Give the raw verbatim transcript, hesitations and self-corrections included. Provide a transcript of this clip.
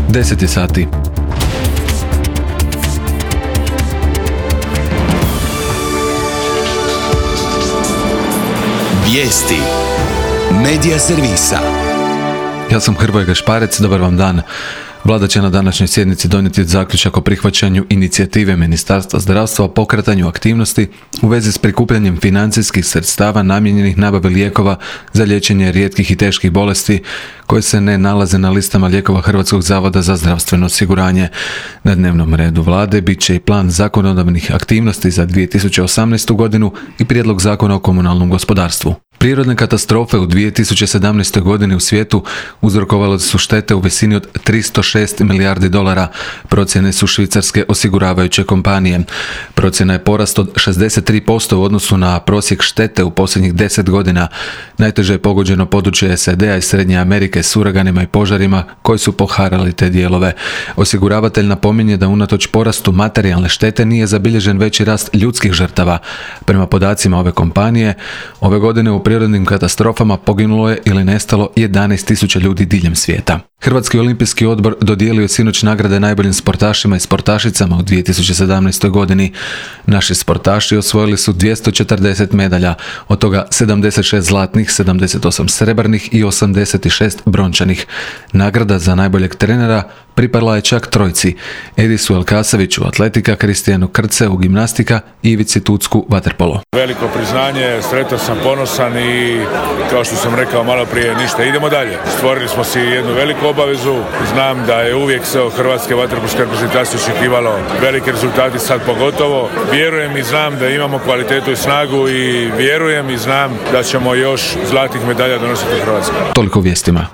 deset je sati. Vijesti Medija servisa. Ja sam Hrvoje Gašparec, dobar vam dan. Vlada će na današnjoj sjednici donijeti zaključak o prihvaćanju inicijative Ministarstva zdravstva o pokretanju aktivnosti u vezi s prikupljanjem financijskih sredstava namijenjenih nabavi lijekova za liječenje rijetkih i teških bolesti koje se ne nalaze na listama lijekova Hrvatskog zavoda za zdravstveno osiguranje. Na dnevnom redu vlade bit će i plan zakonodavnih aktivnosti za dvije tisuće osamnaestu godinu i prijedlog zakona o komunalnom gospodarstvu. Prirodne katastrofe u dvije tisuće sedamnaestoj godini u svijetu uzrokovale su štete u visini od tristo šest milijardi dolara, procjene su švicarske osiguravajuće kompanije. Procjena je porast od šezdeset tri posto u odnosu na prosjek štete u posljednjih deset godina. Najteže je pogođeno područje S A D-a i Srednje Amerike s uraganima i požarima koji su poharali te dijelove. Osiguravatelj napominje da unatoč porastu materijalne štete nije zabilježen veći rast ljudskih žrtava. Prema podacima ove kompanije, ove godine u prirodnim katastrofama poginulo je ili nestalo jedanaest tisuća ljudi diljem svijeta. Hrvatski olimpijski odbor dodijelio je sinoć nagrade najboljim sportašima i sportašicama u dvije tisuće sedamnaestoj godini. Naši sportaši osvojili su dvjesto četrdeset medalja, od toga sedamdeset šest zlatnih, sedamdeset osam srebrnih i osamdeset šest brončanih. Nagrada za najboljeg trenera pripala je čak trojci: Edisu Elkasaviću atletika, Kristijanu Krceu gimnastika i Ivici Tucku vaterpolo. Veliko priznanje, sretan sam, ponosan i kao što sam rekao malo prije, ništa, idemo dalje. Stvorili smo si jednu veliku obavezu, znam da je uvijek se od hrvatske vaterpolske reprezentacije očekivalo velike rezultati, sad pogotovo. Vjerujem i znam da imamo kvalitetu i snagu i vjerujem i znam da ćemo još zlatnih medalja donositi u Hrvatsku. Toliko vijestima.